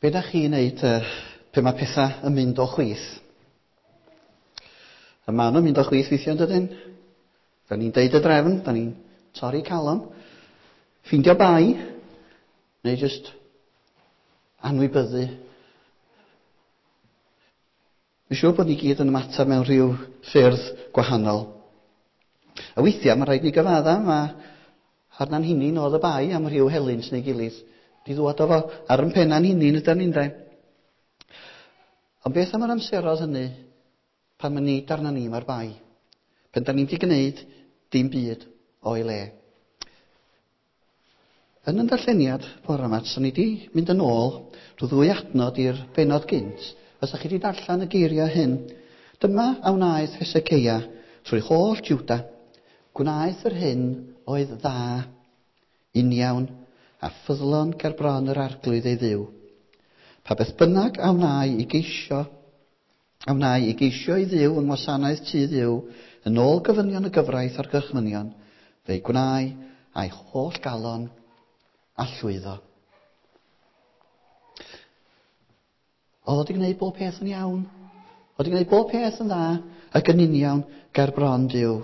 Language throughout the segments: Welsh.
Be da chi'n neud pe mae pethau yn mynd o chwith? A maen nhw'n mynd o chwith weithiau, yn dydyn? Da ni'n deud y drefn, da ni'n torri calon, ffeindio bai, neu jyst anwybyddu. Dwi'n siŵr bod ni gyd yn ymateb mewn rhyw ffyrdd gwahanol. A weithiau mae rhaid ni gyfadda, mae arna'n hunin oedd y bai am rhyw helynt neu gilydd. Di ddwad o fo ar yn penna'n hunin ydan ni'n de. Ond beth am yr amseroedd hynny pan mae nid arna ni mae'r bai? Pan da ni'n di gwneud dim byd o'i le. Yn yn darlleniad bore yma, so ni di mynd yn ôl drwy ddwy adnod i'r benod gynt, fysa chi di darllen y geiriau hyn. Dyma a wnaeth Hesekeia trwy holl Juda. Gwnaeth yr hyn oedd dda, uniawn, a ffyddlon ger bron yr arglwydd ei ddiw. Pa beth bynnag a wnai i geisio, a wnai i geisio i ddiw yng ngwasanaeth tŷ ddiw, yn ôl gofynion y gyfraith a'r gorchmynion, fe'i gwnai a'i holl galon a llwyddo. Oedd o wedi gwneud bob peth yn iawn. Oedd wedi gwneud bob peth yn dda ac yn uniawn ger bron Duw.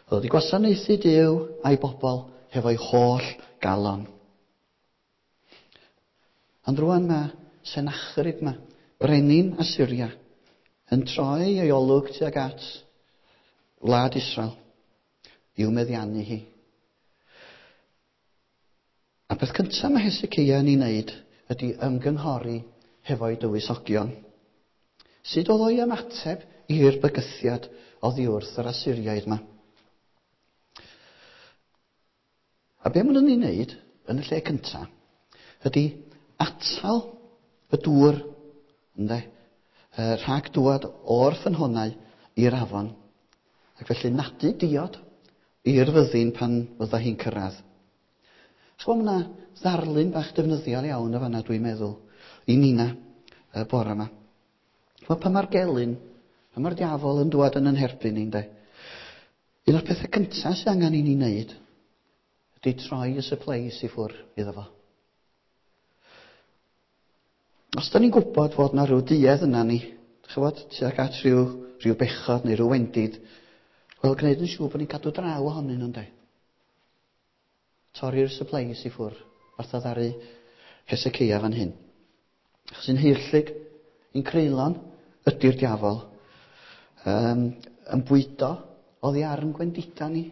Oedd wedi gwasanaethu Duw a'i bobl hefo'i holl galon. Ond rwan mae Sennacherib yma, brenin Assyria, yn troi ei olwg tuag at wlad Israel i'w meddiannu hi. A peth cyntaf mae Hesekeia yn ei wneud ydy ymgynghori hefo'i dywysogion. Sut oedd o'i ymateb i'r bygythiad oddi wrth yr Asyriaid yma? A be maen nhw'n ei wneud yn y lle cyntaf ydy atal y dŵr ynde, rhag dŵad o'r ffynhonnau i'r afon. Ac felly nadu diod i'r fyddin pan fydda hi'n cyrraedd. Ch'mo' ma' 'na ddarlun bach defnyddiol iawn y fanna dwi'n meddwl i nina y bore yma. Ch'mo' pan ma'r gelyn, pan ma'r diafol yn dŵad yn 'yn herbyn ni ynde? Un o'r pethe cynta sy angen i ni wneud ydy troi y supplies i ffwr' iddo fo. Os da ni'n gwybod fod na rhyw duedd yna ni, ch'mod, tuag at rhyw, rhyw bechod neu rhyw wendid, wel, gwneud yn siŵr bod ni'n cadw draw ohonyn nhw, ynde? Torri'r supplies i ffwr', fatha ddaru Hesekeia fan hyn. Achos un heirllig, un creulon ydy'r diafol. Um, yn bwydo oddi ar yn gwendida ni.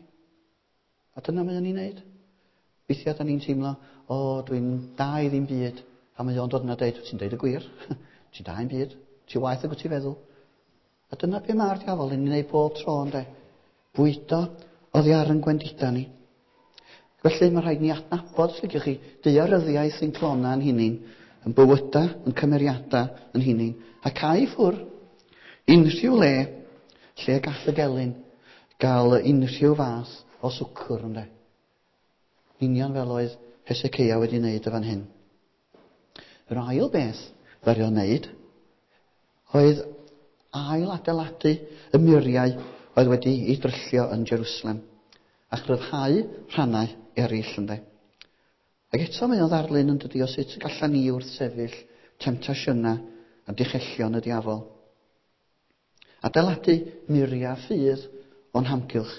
A dyna mae o'n ei wneud. Weithiau da ni'n teimlo, o, dwi'n da i ddim byd. A mae o'n dod yna dweud, ti'n deud y gwir. Ti'n da i'n byd. Ti waeth ag wyt ti'n feddwl. A dyna be mae'r diafol yn ei wneud bob tro, ynde? Bwydo oddi ar yn gwendida ni. Felly mae rhaid ni adnabod, os liciwch chi, daearyddiaeth ein clona yn hunin, yn bywyda, yn cymeriada yn hunin, a cau i ffwr unrhyw le lle gall y gelyn gael unrhyw fath o swcwr, ynde? Union fel oedd Hesekeia wedi wneud y fan hyn. Yr ail beth ddaru o wneud oedd ail adeiladu y muriau oedd wedi ei dryllio yn Jerusalem a chryfhau rhannau eraill ynde. Ac eto mae o'n ddarlun yn dydi o sut y gallan ni wrthsefyll temtasiynau a dichellion y diafol. Adeiladu muriau ffydd o'n hamgylch,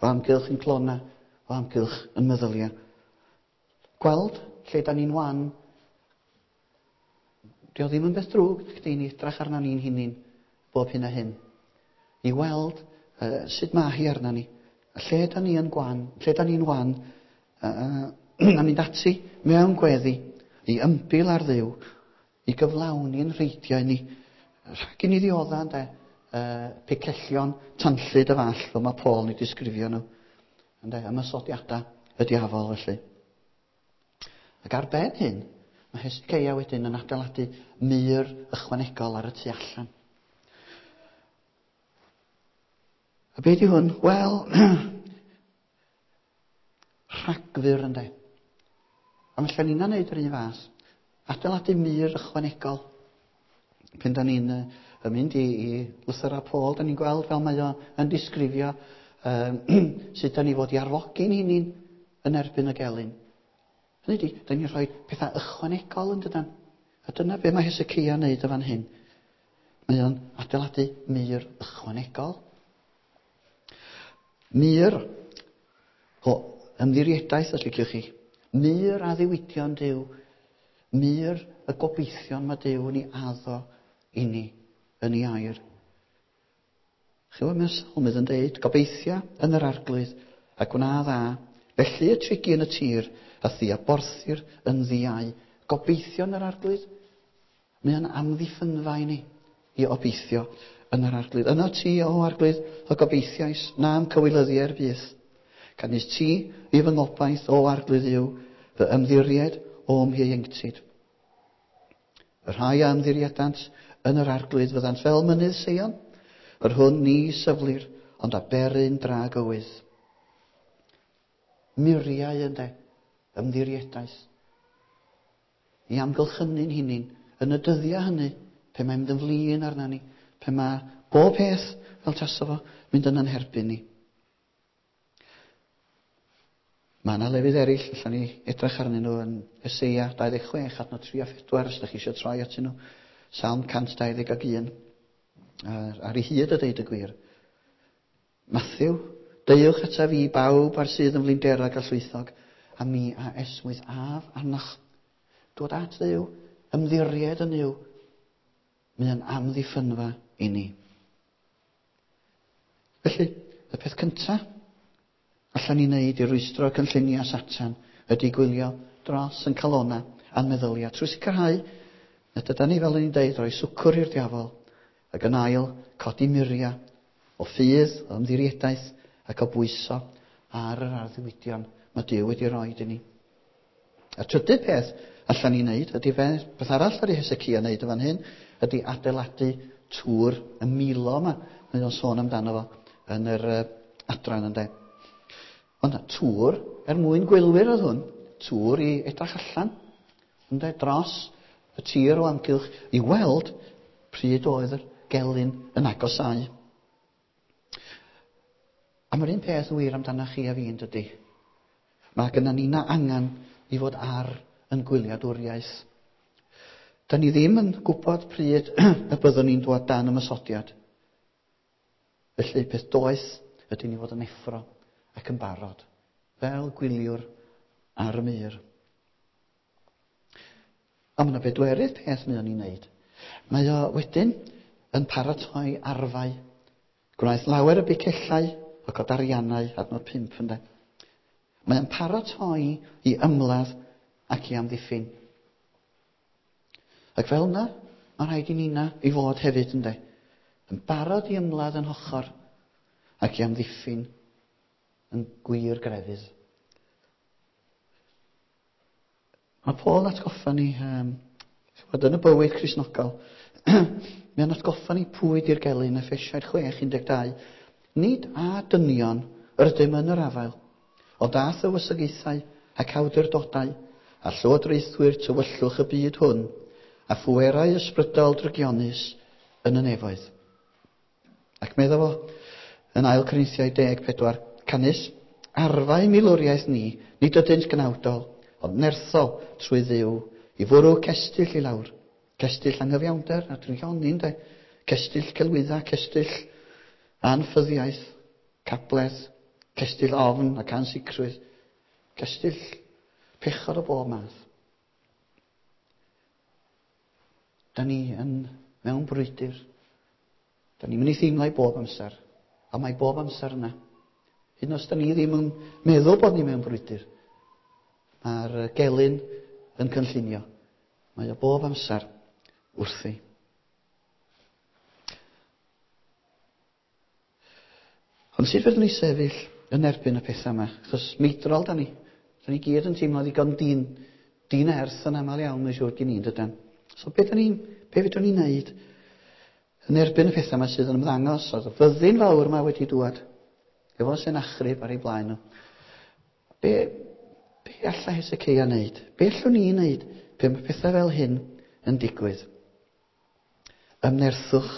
o amgylch yn clona, o amgylch yn meddyliau. Gweld lle da ni'n wan, dio ddim yn beth drwg chdi ni edrach arna ni'n hunin bob hyn a hyn. I weld uh, sut mae hi arna ni. A lle da ni yn gwan, lle da ni'n wan, uh, a mynd ati mewn gweddi i ymbil ar Dduw, i gyflawni'n rheidiau ni. Rhag i ni ddiodda, ynde, uh, picellion tanllyd y fall, fel mae Paul yn ei disgrifio nhw. Ynde, ymosodiadau y diafol felly. Ac ar ben hyn, mae Hesekeia wedyn yn adeiladu mur ychwanegol ar y tu allan. A be di hwn? Wel, rhagfyr ynde. A mae ni'n neud yr un fath. Adeiladu mur ychwanegol. Pen da ni'n uh, mynd i, i lythyrau Paul, da ni'n gweld fel mae o yn disgrifio um, sut da ni fod i arfogi'n hunin yn erbyn y gelyn. Hynny ydi, da ni'n rhoi pethau ychwanegol yn dydan. A dyna be mae Hesecia yn neud y fan hyn. Mae o'n adeiladu mur ychwanegol. Mur o ymddiriedaeth, os liciwch chi. Mur addewidion Duw. Mur y gobeithion mae Duw yn ei addo i ni yn ei air. Chi wybod mae'r salmydd yn deud, gobeithia yn yr arglwydd a gwna dda, felly y trigi yn y tir a thi a borthir yn ddiau. Gobeithio yn yr arglwydd. Mae o'n amddiffynfa i ni i obeithio yn yr arglwydd. Yno ti, o arglwydd, y gobeithiais, na'm cywilyddi er byth. Canys ti i fy ngobaith, o arglwydd yw, fy ymddiried o'm hieuenctid. Y rhai a ymddiriedant yn yr arglwydd fyddant fel mynydd Seion, yr hwn ni syflir, ond a beryn dragywydd. Muriau ynde, ymddiriedaeth. I amgylchynu'n hunin yn y dyddiau hynny, pe mae'n mynd yn flin arna ni, pe mae bob peth fel tasa fo mynd yn anherbyn ni. Mae yna lefydd eraill, allan ni edrych arnyn nhw yn Eseia 26, adnod 3 a 4, os ydych chi eisiau troi atyn nhw. Salm 121, ar ei hyd a deud y gwir. Matthew, deuwch ataf fi bawb ar sydd yn flinderog a llwythog, a mi a esmwyth af arnoch. Dod at Dduw, ymddiried yn Nuw, mae o'n amddiffynfa i ni. Felly, y peth cyntaf allan ni wneud i rwystro cynlluniau Satan ydy gwylio dros yn calona a'n meddyliau trwy sicrhau nad yda ni, fel o'n i'n deud, rhoi swcwr i'r diafol ac yn ail codi muriau o ffydd, o ymddiriedaeth ac o bwyso ar yr arddiwydion mae Duw wedi rhoi i ni. A trydydd peth allan ni wneud ydy beth arall ar ei Hesecia wneud yn fan hyn ydy adeiladu tŵr y Milo yma. Mae o'n sôn amdano fo yn yr adran ynde. Ond tŵr er mwyn gwylwyr oedd hwn, tŵr i edrych allan ynde, dros y tir o amgylch i weld pryd oedd yr gelyn yn agosáu. A mae'r un peth yn wir amdano chi a fi yn dydy. Mae gennym ni na angen i fod ar yn gwyliadwriaeth. Da ni ddim yn gwybod pryd y byddwn ni'n dod dan ymosodiad. Felly peth doeth ydy ni fod yn effro ac yn barod, fel gwyliwr ar y mur. A mae yna bedwerydd peth mae o'n ei wneud. Mae o wedyn yn paratoi arfau. Gwnaeth lawer y bicellau ac o dariannau, adnod 5 ynde. Mae o'n paratoi i ymladd ac i amddiffyn. Ac fel yna, mae rhaid i nina i fod hefyd ynde. Yn barod i ymladd yn hochr ac i amddiffyn yn gwir grefydd. Mae Paul yn atgoffa ni, ch'mod, yn y bywyd Cristnogol, mae'n atgoffa ni pwy di'r gelyn, Effesiaid 6:12. Nid a dynion yr ydym yn yr afael, ond a thywysogaethau ac awdurdodau, a llywodraethwyr tywyllwch y byd hwn, a phwerau ysbrydol drygionus yn y nefoedd. Ac medda fo yn 2 Corinthiaid 14, canys arfau milwriaeth ni, nid ydynt gnawdol, ond nerthol trwy Dduw, i fwrw cestyll i lawr. Cestyll anghyfiawnder a drygioni, ynde? Cestyll celwydda, cestyll anffyddiaeth, cabledd, cestyll ofn ac ansicrwydd, cestyll pechod o bob math. Da ni yn mewn brwydr. Da ni'n mynd i theimlo i bob amser. A mae bob amser yna. Hyd yn oed os da ni ddim yn meddwl bod ni mewn brwydr. Mae'r gelyn yn cynllunio. Mae o bob amser wrthi. Ond sut fedrwn ni sefyll yn erbyn y pethau yma? Achos meidrol da ni. Da ni gyd yn teimlo ddigon din erth yn aml iawn, mae'n siŵr gen i'n dydan. So be fedrwn ni wneud yn erbyn y pethau yma sydd yn ymddangos? Oedd y fyddin fawr yma wedi dŵad efo Senachrib ar ei blaen nhw. Be alla Hesecia wneud? Be allwn ni wneud pe mae pethau fel hyn yn digwydd? Ymnerthwch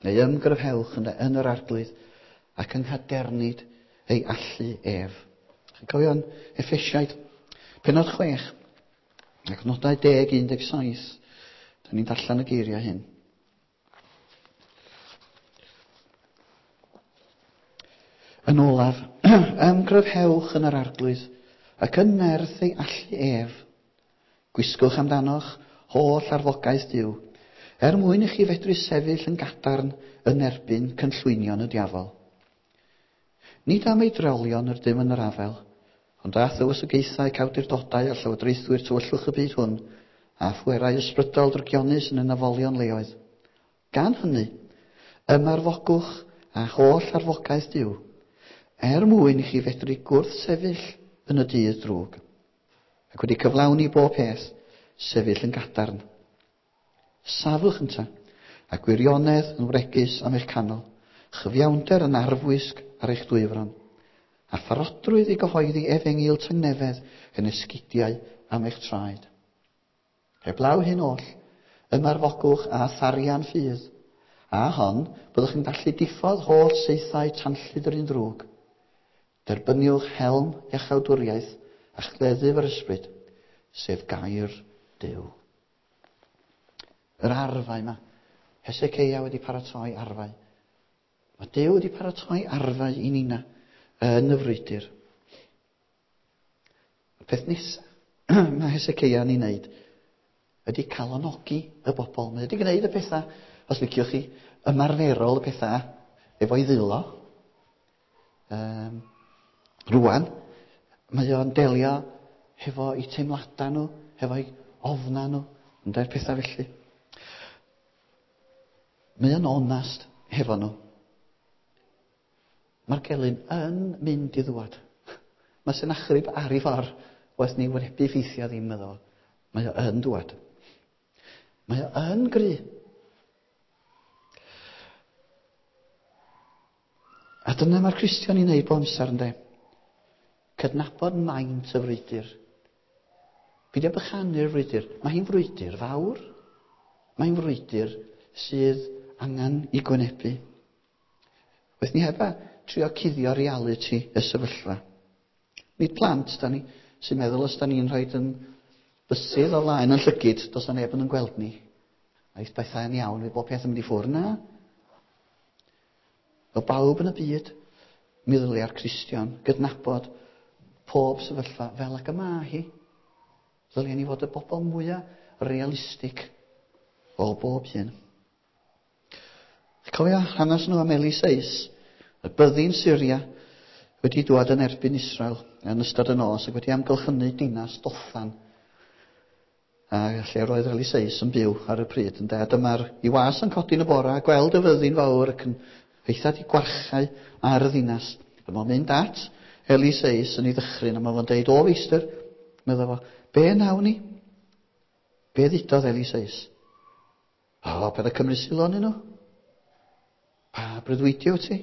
neu ymgryfhewch yn yr arglwydd ac yng nghadernid ei allu ef. Chi'n cofio yn Effesiaid, pennod 6, ac nodau 10, 17. Da ni'n darllen y geiriau hyn. Yn olaf, ymgryfhewch yn yr arglwydd ac yn nerth ei allu ef. Gwisgwch amdanoch holl arfogaeth Duw, er mwyn i chi fedru sefyll yn gadarn yn erbyn cynllwynion y diafol. Nid am ei drolion yr ydym yn yr afel, ond a thywysogaethau cawdurdodau a llywodraethwyr tywyllwch y byd hwn, a phwerau ysbrydol drygionus yn y nafolion leoedd. Gan hynny, ymarfogwch a holl arfogaeth Duw, er mwyn i chi fedru gwrthsefyll yn y dydd drwg, ac wedi cyflawni bob peth, sefyll yn gadarn. Safwch ynta, a gwirionedd yn wregus am eich canol, chyfiawnder yn arfwisg ar eich dwyfron, a pharodrwydd i gyhoeddi efengyl tangnefedd yn esgidiau am eich traed. Heblaw hyn oll, ymarfogwch a tharian ffydd, a hon, byddwch yn gallu diffodd holl saethau tanllyd yr un drwg. Derbyniwch helm iachawdwriaeth a chleddyf yr ysbryd, sef gair Duw. Yr arfau yma. Hesekeia wedi paratoi arfau. Mae Duw wedi paratoi arfau i nina yn y frwydr. Y peth nesaf mae Hesekeia yn ei wneud ydy calonogi y bobl. Mae wedi gwneud y pethau, os liciwch chi, ymarferol y pethau efo'i ddwylo. Rwan, mae o'n delio hefo eu teimladau nhw, hefo'u ofna nhw, ynde'r pethau felly. Mae o'n onast hefo nhw. Mae'r gelyn yn mynd i ddwad. Mae Sennacherib ar ei ffordd, waeth ni wynebu ffeithiau ddim iddo fo. Mae o yn dwad. Mae o yn gry. A dyna mae'r Cristion i wneud bob amser, ynde? Cydnabod maint y frwydr. Peidio bychanu'r frwydr. Mae hi'n frwydr fawr. Mae'n frwydr sydd angen i gwynebu. Waeth ni heb a trio cuddio realiti y sefyllfa. Nid plant, da ni, sy'n meddwl os da ni'n rhoi yn bysydd o flaen yn llygid, does na neb yn gweld ni. Aeth bethau yn iawn, fydd bob peth yn mynd i ffwrdd. Na. Fel bawb yn y byd, mi ddylia'r Cristion gydnabod pob sefyllfa fel ag y mae hi. Ddylia ni fod y bobl mwyaf realistig o bob un. Cofio hanes nhw am Eliseus, y byddin Syria wedi dwad yn erbyn Israel yn ystod y nos ac wedi amgylchynu dinas Dothan, a lle roedd Eliseus yn byw ar y pryd. Ynde? A dyma'r i was yn codi yn y bora a gweld y fyddin fawr ac yn eitha di gwarchau ar y ddinas. Dyma mynd at Eliseus yn ei ddychryn a mae fo'n deud, o feistr, medda fo, be nawn ni? Be ddudodd Eliseus? O, paid â cymryd sylw arnyn nhw. Pa breuddwydio wyt ti?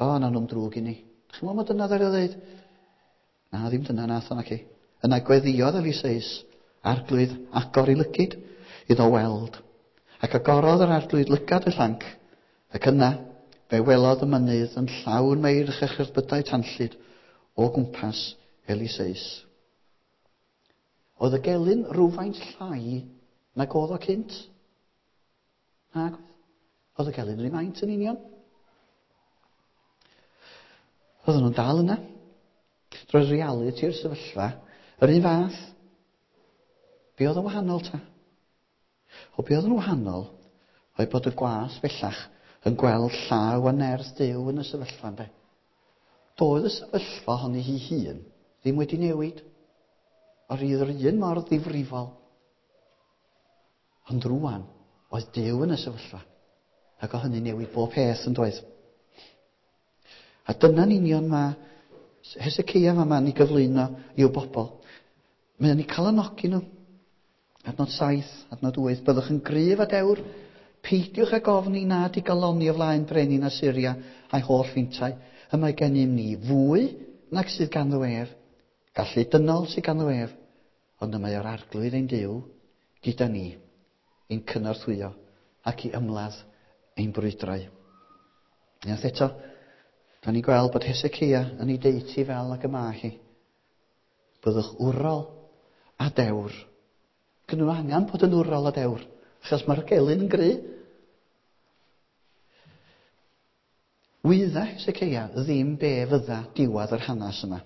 O, na nhw'n drwg i ni. Dych chi'n meddwl mai dyna ddaru o ddeud? Na, ddim dyna nath o naci. Yna gweddïodd Eliseus, Arglwydd, agor i lygid iddo weld. Ac agorodd yr Arglwydd lygad y llanc, ac yna fe welodd y mynydd yn llawn meirch a cherbydau tanllyd o gwmpas Eliseus. Oedd y gelyn rhywfaint llai nag oedd o cynt? Nag oedd. Oedd y gelyn yr un maint yn union. Oedden nhw'n dal yna. Roedd realiti'r sefyllfa yr un fath. Be oedd yn wahanol ta? O be oedd yn wahanol oedd bod y gwas bellach yn gweld llaw a nerth Duw yn y sefyllfa, ynde? Doedd y sefyllfa honni hi hun ddim wedi newid. Oedd yr un mor ddifrifol. Ond rwan, oedd Duw yn y sefyllfa. Ac o hynny newid bob peth yn doedd. A dyna'n union mae Hesekeia fama yn ei gyflwyno i'w bobl. Mae o'n eu calonogi nhw. Adnod 7, adnod 8, byddwch yn gryf a dewr, peidiwch ag ofni na digalonni o flaen brenin Asyria a'i holl fintau. Y mae gennym ni fwy nag sydd ganddo ef. Gallu dynol sydd ganddo ef, ond y mae o'r Arglwydd ein Duw gyda ni i'n cynorthwyo ac i ymladd ein brwydrau. Unwaith eto, da ni'n gweld bod Hesekeia yn ei deud hi fel ag y mae hi. Byddwch wrol a dewr. Gyn nhw angen bod yn wrol a dewr, achos mae'r gelyn yn gry. Wydda Hesekeia ddim be fydda diwedd yr hanes yma.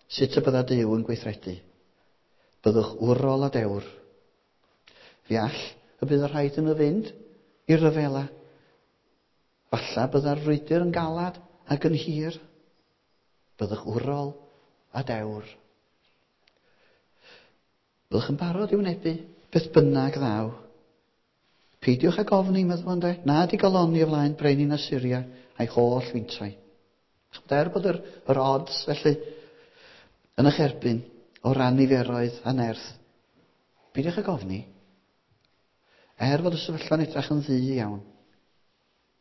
Sut y bydda Duw yn gweithredu. Byddwch wrol a dewr. Fe all y bydd y rhaid yn y fynd i'r rhyfela. Falla bydda'r frwydr yn galad ac yn hir. Byddwch wrol a dewr. Byddwch yn barod i wynebu beth bynnag ddaw. Peidiwch ag ofni, meddwl ynde, na digalonni o flaen brenin Asyria a'i holl fintai. Ch'mod, er bod yr, yr odds felly yn eich erbyn o ran niferoedd a nerth, peidiwch ag ofni. Er fod y sefyllfa'n edrych yn ddu iawn,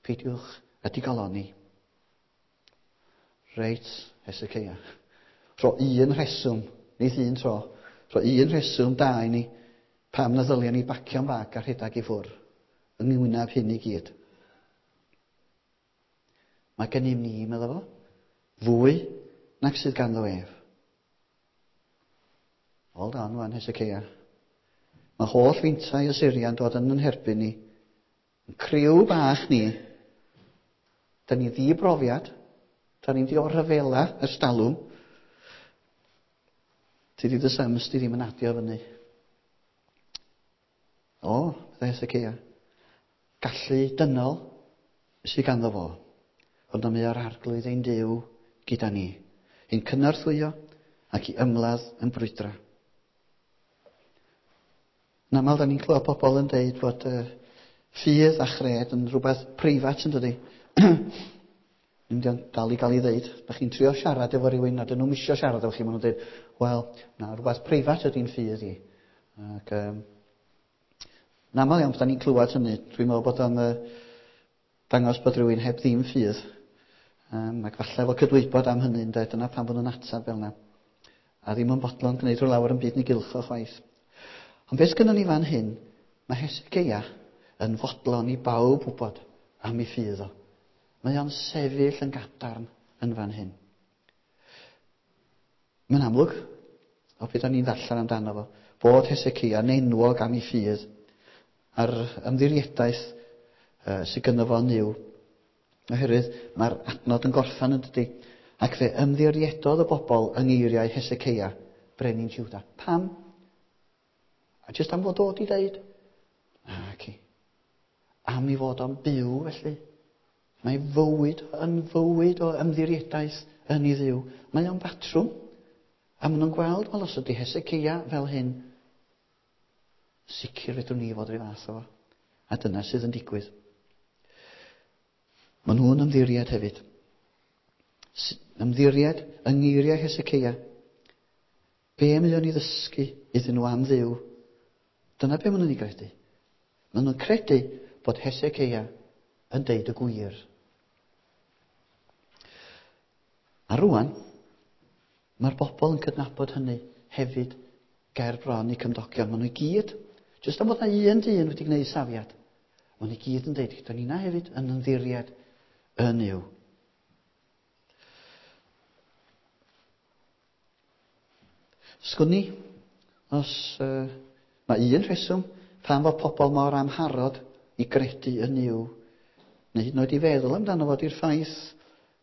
peidiwch â digalonni. Reit, Hesekeia. Rho un rheswm, nid un tro. Rho un rheswm da i ni pam na ddylia ni bacio'n bag a rhedeg i ffwrdd yng ngwyneb hyn i gyd. Mae gennym ni, meddwl fo, fwy nag sydd ganddo ef. Hold on, wan, Hesekeia. Mae holl fintai Assyria'n dod yn yn herbyn ni. Yn criw bach ni. Da ni ddi-brofiad. Da ni'n di o rhyfela ers talwm. Ti di dy sums di ddim yn adio fyny. O, meddai Hesekeia. Gallu dynol sydd ganddo fo. Ond am o'r arglwydd ein Duw gyda ni. I'n cynorthwyo ac i ymladd yn brwydra. Yn aml, da ni'n clywed pobl yn deud bod ffydd a chred yn rhywbeth preifat yn dydi. Ddim yn dal i gael ei ddeud. Da chi'n trio siarad efo rhywun a dyn nhw'n misio siarad efo chi. Maen nhw'n dweud, wel, na, rhywbeth preifat ydy'n ffydd i. Ac, yn aml iawn, da ni'n clywed hynny. Dwi'n meddwl bod o'n dangos bod rhywun heb ddim ffydd. Ac falle efo cydwybod am hynny, ynde, dyna pam bod nhw'n ateb fel yna. A ddim yn bodlon gwneud rhyw lawer yn byd ni gylch o chwaith. Ond beth gynnon ni fan hyn, mae Hesekeia yn fodlon i bawb wybod am ei ffydd o. Mae o'n sefyll yn gadarn yn fan hyn. Mae'n amlwg, o beth o'n i'n ddarllen amdano fo, bod Hesekeia yn enwog am ei ffydd a'r ymddiriedaeth sydd gynno fo yn Nuw. Oherwydd mae'r adnod yn gorffan yn dydy. Ac fe ymddiriedodd y bobl yng ngeiriau Hesekeia, brenin Juda. Pam? A jyst am fod o di ddeud? Naci. Am i fod o'n byw felly. Mae fywyd yn fywyd o ymddiriedaeth yn ei Dduw. Mae o'n batrwm. A maen nhw'n gweld, wel, os ydy Hesekeia fel hyn, sicr fedrwn ni fod rhyw fath o fo. A dyna sydd yn digwydd. Maen nhw'n ymddiried hefyd. Ymddiried yng ngeiriau Hesekeia. Be mae o'n ei ddysgu iddyn nhw am Dduw? Dyna be maen nhw'n ei gredu. Maen nhw'n credu bod Hesekeia yn deud y gwir. A rwan, mae'r bobl yn cydnabod hynny hefyd ger bron i cymdogion. Maen nhw i gyd, jyst am fod na un dyn wedi gwneud safiad, maen nhw i gyd yn deud, gyda ni na hefyd yn ymddiried yn Nuw. Sgwn i, os mae un rheswm pam fod pobl mor amharod i gredu yn Nuw, neu hyd yn oed i feddwl amdano fo, di'r ffaith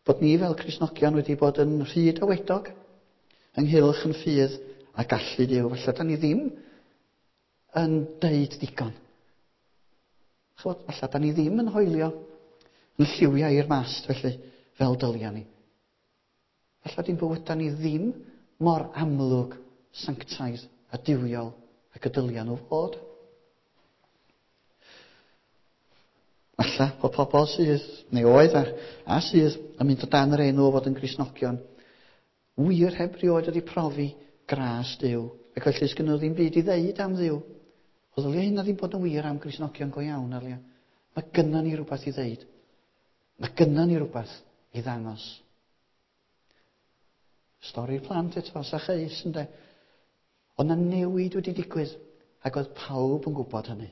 bod ni fel Cristnogion wedi bod yn rhy dawedog ynghylch yn ffydd a gallu Duw. Falle da ni ddim yn deud digon. Ch'mod, falle da ni ddim yn hoelio yn lliwiau i'r mast felly, fel dylia ni. Falle di'n bywydau ni ddim mor amlwg, sanctaidd a duwiol ac y dylia nhw fod. Falle bod pobl sydd, neu oedd a, a sydd, yn mynd o dan yr enw o fod yn Gristnogion, wir heb rioed wedi profi gras Duw, ac felly sgynno nhw ddim byd i ddeud am Dduw. O ddylia hynna ddim bod yn wir am Gristnogion go iawn, Arlia. Mae gynnon ni rhywbeth i ddeud. Mae gynnon ni rhywbeth i ddangos. Stori'r plant eto, Sacheus, ynde. Ond na newid wedi digwydd, ac oedd pawb yn gwybod hynny.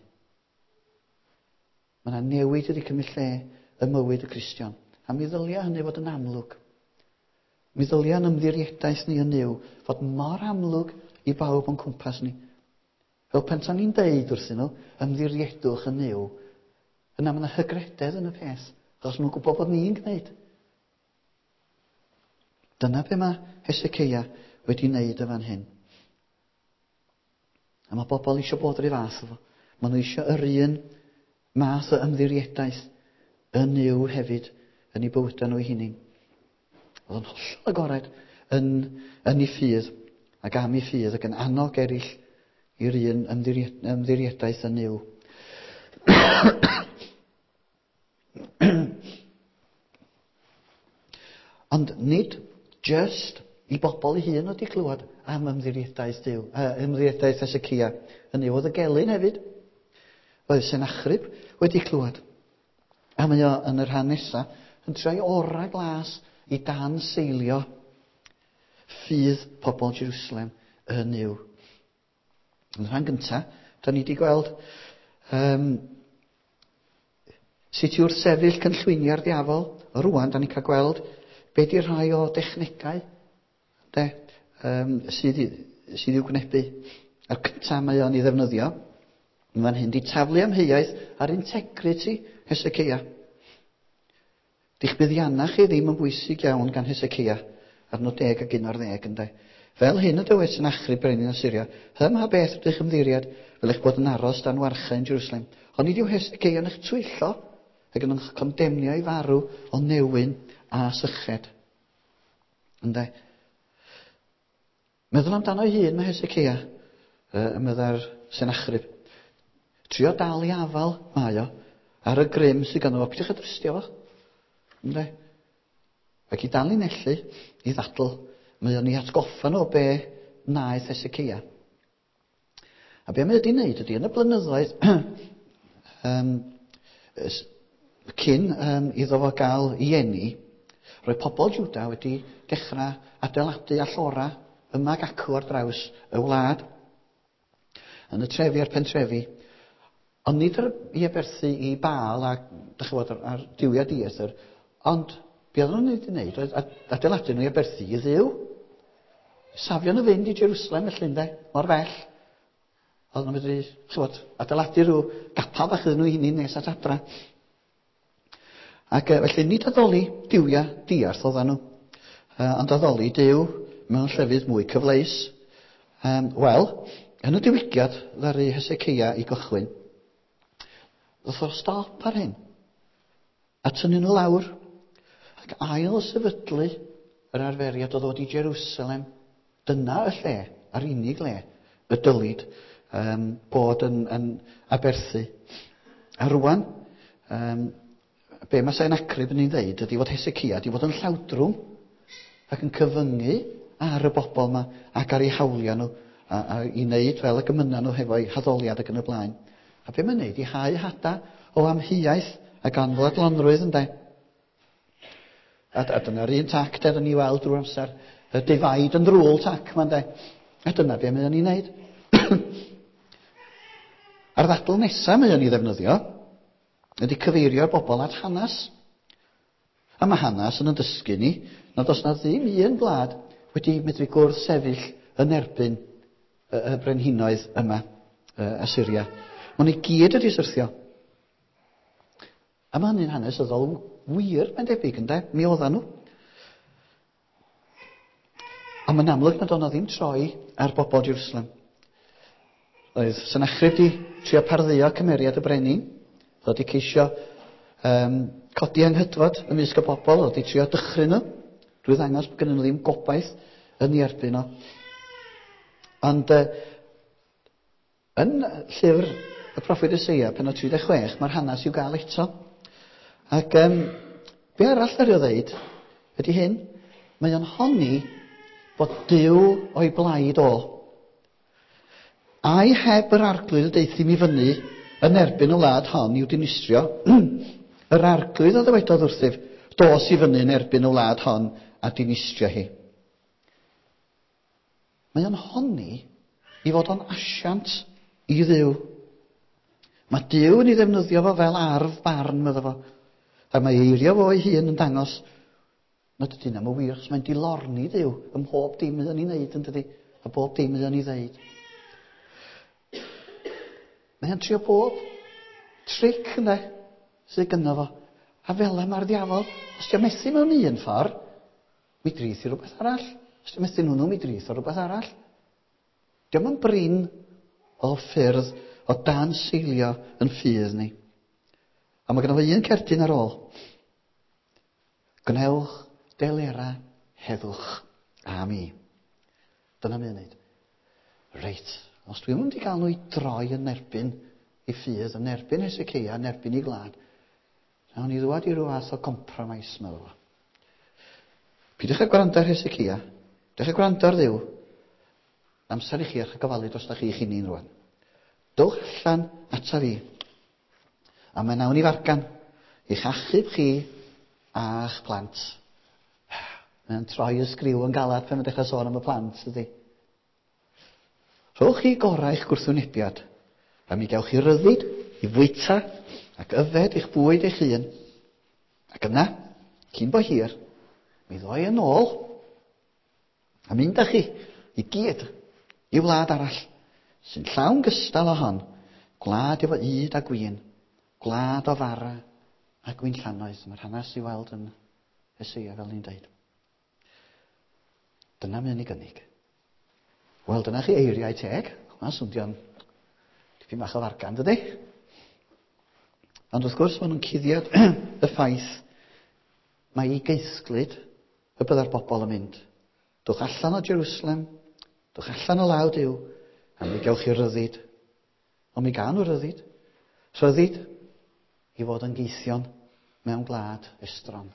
Mae yna newid wedi cymryd lle ym mywyd y Cristion. A mi ddylia hynny fod yn amlwg. Mi ddylia yn ymddiriedaeth ni yn Nuw fod mor amlwg i bawb o'n cwmpas ni. Fel pen ta ni'n deud wrthyn nhw, ymddiriedwch yn Nuw, yna mae yna hygrededd yn y peth, achos nhw'n gwybod bod ni'n gwneud. Dyna be mae Hesekeia wedi wneud y fan hyn. A mae bobl eisiau bod yr un fath efo. Maen nhw eisiau yr un math o ymddiriedaeth yn Nuw hefyd yn eu bywydau nhw eu hunain. Oedd yn hollol agored yn, yn ei ffydd ac am ei ffydd ac yn annog eraill i'r un ymddiriedaeth yn Nuw. Ond nid just i bobl ei hun wedi clywed am ymddiriedaeth Duw, ymddiriedaeth Hesecia. Hynny oedd y gelyn hefyd. Oedd Senachrib wedi clywed. A mae o yn y rhan nesaf yn troi ora glas i dan seilio ffydd pobl Jerusalem yn Nuw. Yn rhan gyntaf, da ni wedi gweld um, sut i wrthsefyll cynllwyniau'r diafol. Rwan, da ni'n cael gweld be di rhai o dechnegau de, um, sydd, sydd i'w gwynebu. A'r cyntaf mae o'n ei ddefnyddio, yn fan hyn, di taflu amheuaeth ar integrity Hesekeia. Di'ch buddiannau chi ddim yn bwysig iawn gan Hesekeia, adnod 10 ac 11 ynde. Fel hyn y dywed Senachrib brenin Asyria, hym ha beth ydych ymddiried, fel eich bod yn aros dan warchau yn Jerusalem. Ond nid yw Hesekeia yn eich twyllo, ac yn eich condemnio i farw o newyn a syched. Ynde? Meddwl amdano ei hun mae Hesekeia, y meddai'r Senachrib. Trio dal i afal mae o ar y grym sydd ganddo fo. Peidiwch â drystio fo. Ynde? Ac i danlinellu, i ddadl, mae o'n ei atgoffa nhw o be wnaeth Hesekeia. A be mae wedi wneud ydy, yn y blynyddoedd um, cyn um, iddo fo gael ei eni, roedd pobl Juda wedi dechrau adeiladu allora yma ac acw ar draws y wlad, yn y trefi a'r pentrefi. Ond nid ar, i aberthu i Baal a, dych chi'n gwybod, ar, ar duwiau dieithr, ond be oedden nhw'n ei wneud oedd adeiladu nhw i aberthu i Dduw. Safio nhw fynd i Jerusalem felly, ynde, mor bell. Oedden nhw'n medru, chybod, adeiladu rhyw gapel bach iddyn nhw i hunain nes at adra. Ac felly nid addoli duwiau diarth oedden nhw, ond addoli Duw mewn llefydd mwy cyfleus. Um, Wel, yn y diwygiad ddaru Hesekeia i gychwyn, ddoth o stop ar hyn. A tynnu nhw lawr ac ail sefydlu yr arferiad o ddod i Jerusalem. Dyna y lle, a'r unig le, y dylid um, bod yn, yn aberthu. A rwan, um, be mae Sennacherib yn ei ddeud ydy fod Hesekia wedi fod yn llawdrwm ac yn cyfyngu ar y bobl yma ac ar eu hawliau nhw a, a i wneud fel y gymyna nhw hefo'u haddoliad ac yn y blaen. A be mae'n wneud? I hau hada o amheuaeth ac anfodlonrwydd ynde. A, a dyna'r un tac de, ni weld drwy'r amser. Y divide and rule tac ma'n de. A dyna be mae o'n ei wneud. A'r ddadl nesaf mae o'n ei ddefnyddio ydy cyfeirio'r bobl at hanes. A mae hanes yn dysgu ni nad oes na ddim un gwlad wedi medru gwrth sefyll yn erbyn y, y brenhinoedd yma, y Assyria. Maen nhw i gyd wedi syrthio. A mae hynny'n hanesyddol wir, mae'n debyg, ynde? Mi oedden nhw. Ond mae'n amlwg nad oedd ddim troi ar bobl Jerusalem. Oedd Senachrib di trio pardduo cymeriad y brenin. Oedd wedi ceisio um, codi anghydfod ymysg y bobl, oedd wedi trio dychryn nhw, drwy ddangos bod gen nhw ddim gobaith yn ei erbyn o. Ond uh, yn llyfr y proffwyd Eseia, penod 36, mae'r hanes i'w gael eto. Ac um, be arall ar o ddeud ydy hyn, mae o'n honni bod Duw o'i blaid o. Ai heb yr arglwydd y deuthum i fyny yn erbyn y wlad hon i'w dinistrio, yr arglwydd a ddywedodd wrthyf, dos i fyny yn erbyn y wlad hon a dinistrio hi. Mae o'n honni i fod o'n asiant i Dduw. Mae Duw yn ei ddefnyddio fo fel arf barn, medda fo. A mae eirio fo ei hun yn dangos nad ydy hynny'n wir, achos mae'n dilorni Dduw ym mhob dim mae o'n ei wneud, yn dydy? A bob dim mae o'n ei ddeud. Mae'n trio bob tric yna sydd gynno fo. A fel yma mae'r diafol, os ti'n methu mewn un ffordd, mi drith i rhywbeth arall. Os ti'n methu nhw'n mi drith o rhywbeth arall. Diolch yn brin o ffyrdd o dan seilio yn ffydd ni. A mae gynno fo un cerdyn ar ôl. Gwnewch delera heddwch a mi. Dyna mae'n wneud. Reit, os dwi'n mynd i gael nhw i droi yn erbyn i ffydd, yn erbyn Hesekeia, yn erbyn i glad, nawn ni ddwad i ryw fath o compromise, meddwl fo. Pidwch â gwrando ar Hesekeia, pidwch â gwrando ar Dduw. Amser i chi eich gofalu dros chi eich hunain rwan. Dowch allan ata fi. A mae nawn i fargan i'ch achub chi a'ch plant. Mae'n troi y sgriw yn galad pan mae'n dechrau sôn am y plant, ydy. Rhowch chi gorau eich gwrthwynebiad, a mi gewch chi ryddid i fwyta ac yfed eich bwyd eich hun. Ac yna, cyn bo hir, mi ddoi yn ôl a mynd â chi i gyd i wlad arall sy'n llawn gystal o hon, gwlad efo ŷd a gwin, gwlad o fara a gwinllannoedd. Mae'r hanes i weld yn Eseia, fel ni'n dweud. Dyna mae'n ei gynnig. Wel, dyna chi eiriau teg. Hwna'n swndio'n dipyn bach o fargan, dydy? Ond wrth gwrs, maen nhw'n cuddiad y ffaith mae i geisglyd y byddai'r bobl yn mynd. Dwch allan o Jerusalem, dwch allan o law Duw, a mi gewch chi ryddid. Ond mi gawn nhw ryddid. Rhyddid i fod yn geithion mewn gwlad estron.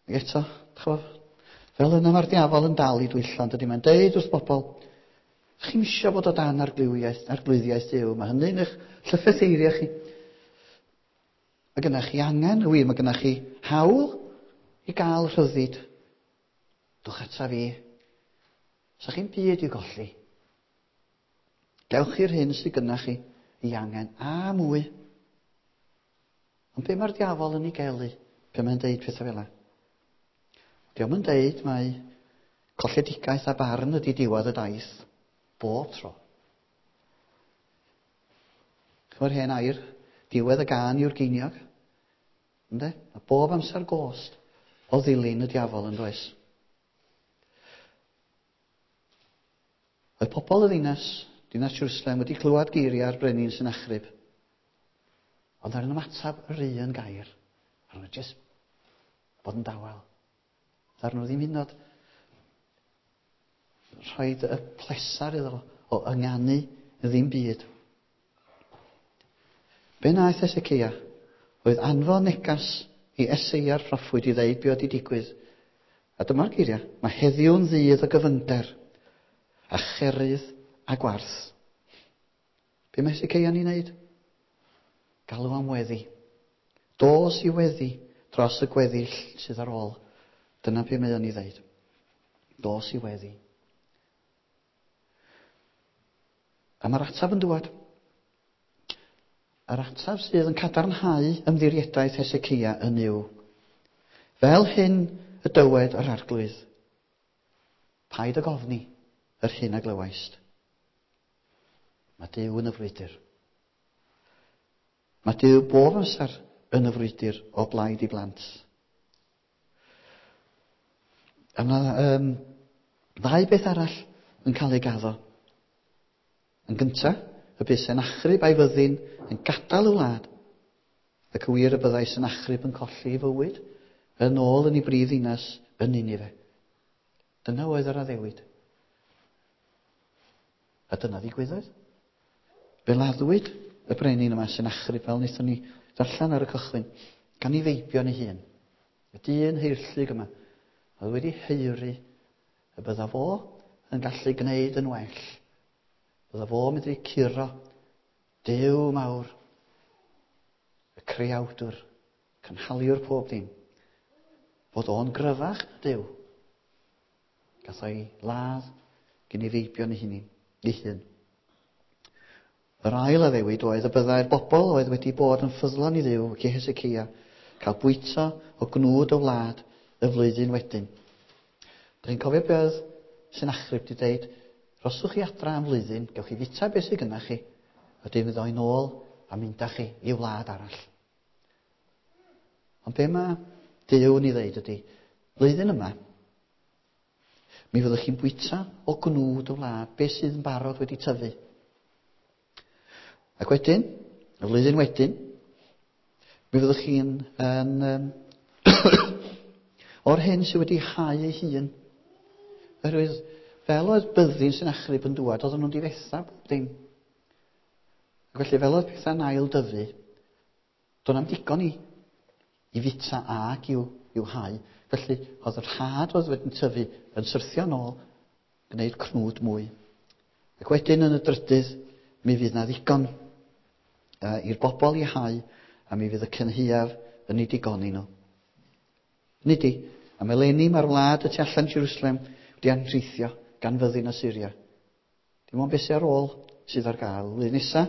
Ac eto, ch'mo', fel yna mae'r diafol yn dal i dwyllo, yn dydy? Mae'n deud wrth bobl, chi'm isio bod o dan arglwyddiaeth, arglwyddiaeth Duw, mae hynny'n eich llyffetheirio chi. Mae gennych chi angen, wir, mae gennych chi hawl i gael rhyddid. Dwch ata fi. Sa chi'n byd i'w golli. Gewch chi'r hyn sydd gynnach chi i angen, a mwy. Ond be mae'r diafol yn ei gelu pan mae'n deud pethau fel yna? Dio'm yn deud mai colledigaeth a barn ydy diwedd y daith, bob tro. Chymod hen air, diwedd y gân yw'r geiniog. Ynde? Mae bob amser gost o ddilyn y diafol yn does. Oedd pobl y ddinas, dinas Jerusalem, wedi clywed geiriau'r brenin Senachrib. Ond ar yn ymateb yr un gair. Ar nhw jyst bod yn dawel. Ar nhw ddim hyd yn oed rhoi y plesar iddo fo o ynganu ddim byd. Be wnaeth Esekeia oedd anfon negas i Eseia'r proffwyd i ddeud be oedd wedi digwydd. A dyma'r geiriau, mae heddiw'n ddydd o gyfyngder, a cherydd a gwarth. Be mae Heseceia'n ei wneud? Galw am weddi. Dos i weddi dros y gweddill sydd ar ôl. Dyna be mae o'n ei ddeud. Dos i weddi. A mae'r ateb yn dŵad. Yr ateb sydd yn cadarnhau ymddiriedaeth Heseceia yn yw, fel hyn y dywed yr arglwydd, paid ag ofni yr hyn a glywaist. Mae Duw yn y frwydr. Mae Duw bob amser yn y frwydr o blaid i blant. A mae ddau beth arall yn cael ei gaddo. Yn gyntaf, y bydd Senachrib a'i fyddin yn gadael y wlad, ac y wir y byddai Senachrib yn colli ei fywyd yn ôl yn ei brif ddinas yn Ninife. Dyna oedd yr addewid. A dyna ddigwyddodd. Fe laddwyd y brenin yma Senachrib, fel wnaethon ni ddarllen ar y cychwyn, gan ei feibion ei hun. Y dyn heirllug yma, oedd wedi haeru y bydda fo yn gallu gwneud yn well. Bydda fo yn medru curo Duw mawr, y creawdwr, cynhaliwr pob dim. Fod o'n gryfach na Duw. Gath o'i ladd gen ei feibion ei hun. Ei hun. Yr ail addewid oedd y byddai'r bobl oedd wedi bod yn ffyddlon i Dduw ac i Heseceia cael bwyta o gnwd y wlad y flwyddyn wedyn. Dych chi'n cofio be oedd Senachrib wedi dweud? Rhoswch chi adra am flwyddyn, gewch chi fita beth sydd gynnach chi, a dim fydd o'n ôl a mynd â chi i wlad arall. Ond be mae Duw yn ei ddeud ydy, flwyddyn yma, mi fyddwch chi'n bwyta o gnwd y wlad, beth sydd yn barod wedi tyfu. Ac wedyn, y flwyddyn wedyn, mi fyddwch chi'n yn, um, o'r hyn sydd wedi hau ei hun. Oherwydd, fel oedd byddin sy'n achryb yn dŵad, oedden nhw'n difetha bob dim. Ac felly, fel oedd pethau'n ail dyfu, do'n am digon i, i fita ag i'w, i'w hau. Felly, oedd yr had oedd wedi'n tyfu yn syrthio nôl, gwneud cnwd mwy. Ac wedyn yn y drydydd, mi fydd na ddigon uh, i'r bobl i hau, a mi fydd y cynhaeaf yn ei digoni nhw. Nid i, am eleni mae'r wlad y tu allan Jerusalem wedi anrheithio gan fyddin Assyria. Dim ond beth sydd ar ôl sydd ar gael. Flwyddyn nesa,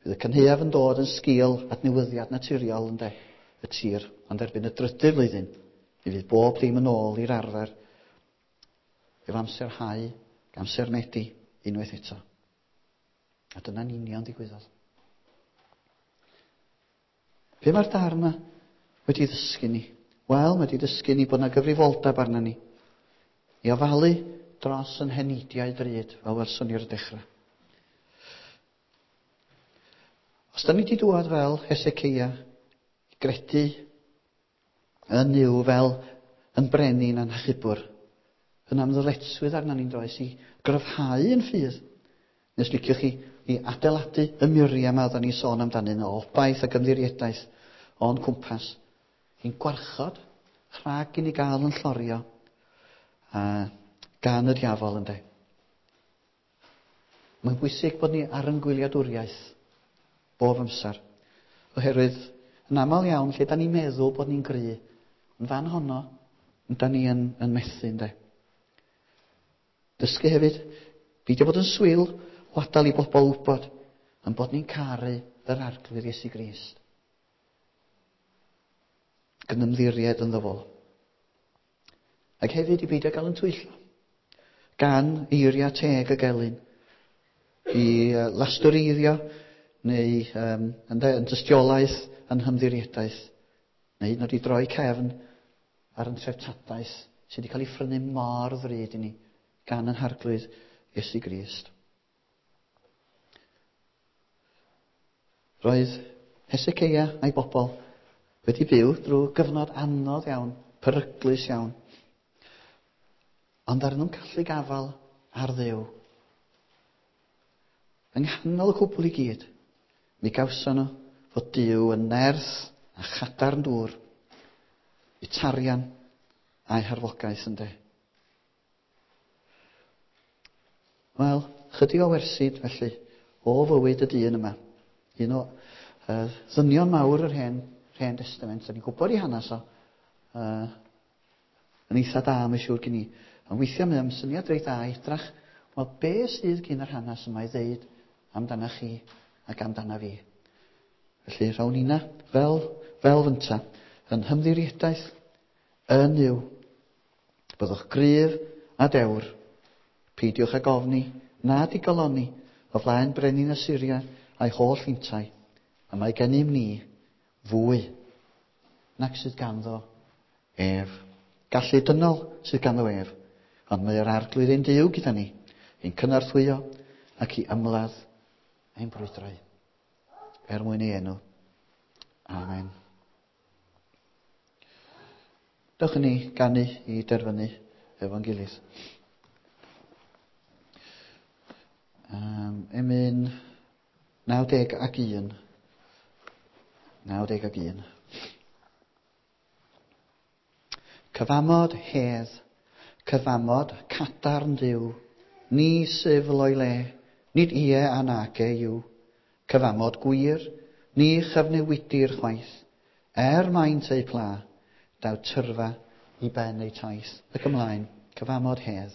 bydd y cynhaeaf yn dod yn sgil adnewyddiad naturiol ynde, y tir, ond erbyn y drydydd flwyddyn, mi fydd bob dim yn ôl i'r arfer efo amser hau, amser medi, unwaith eto. A dyna'n union ddigwyddodd. Be mae'r darn yma wedi ddysgu ni? Wel, mae wedi dysgu ni bod yna gyfrifoldeb arna ni i ofalu dros yn heneidiau drud, fel welson ni ar y dechrau. Os da ni wedi dŵad fel Hesekeia i gredu yn Nuw fel yn brenin a'n hachubwr, yna am ddyletswydd arna ni'n does i gryfhau yn ffydd. Nes liciwch chi i adeiladu y muriau yma oedden ni'n sôn amdanyn nhw, o obaith ac ymddiriedaeth o'n cwmpas. I'n gwarchod rhag i ni gael yn llorio a gan y diafol ynde. Mae'n bwysig bod ni ar yn gwyliadwriaeth bob amser. Oherwydd yn aml iawn lle da ni'n meddwl bod ni'n gry, yn fan honno, da ni yn, yn methu ynde. Dysgu hefyd, beidio bod yn swil o adael i bobl wybod yn bod ni'n caru yr Arglwydd Iesu Grist. Ac yn ymddiried ynddo fo. Ac hefyd i beidio gael yn twyllo gan eiriau teg y gelyn i lastureiddio neu um, yn, yn dystiolaeth yn hymddiriedaeth neu hyd yn oed i droi cefn ar yn treftadaeth sydd wedi cael ei phrynu mor ddrud i ni gan yn Harglwydd Iesu Grist. Roedd Hesekeia a'i bobl wedi byw drwy gyfnod anodd iawn, peryglus iawn. Ond ar nhw'n colli gafael ar Dduw. Yng nghanol y cwbl i gyd, mi gawson nhw fod Duw yn nerth a chadarn dŵr, i tarian a'i harfogaeth ynde. Wel, chydig o wersi felly o fywyd y dyn yma. Un o uh, ddynion mawr yr hen, hen Testament. Da ni'n gwybod i hanes o. Uh, yn eitha da, mae'n siŵr gen i. Ond weithiau mae o'n syniad reit dda i edrach, wel, be sydd gyn yr hanes yma i ddeud amdana chi ac amdana fi. Felly, rhawn nina, fel, fel fynta, yn hymddiriedaeth, yn yw. Byddwch gryf a dewr. Peidiwch ag ofni, na digalonni, o flaen brenin Assyria a'i holl fintai, a mae gennym ni fwy nag sydd ganddo ef. Gallu dynol sydd ganddo ef, ond mae yr Arglwydd ein Duw gyda ni, i'n cynorthwyo ac i ymladd ein brwydrau. Er mwyn ei enw. Amen. Dewch i ni ganu i derfynu efo'n gilydd. Um, emyn 91. 91. Cyfamod hedd, cyfamod cadarn Duw, ni syfl o'i le, nid ie a nage yw. Cyfamod gwir, ni chyfnewidir chwaith, er maint eu pla, daw tyrfa i ben eu taith. Ac ymlaen, cyfamod hedd.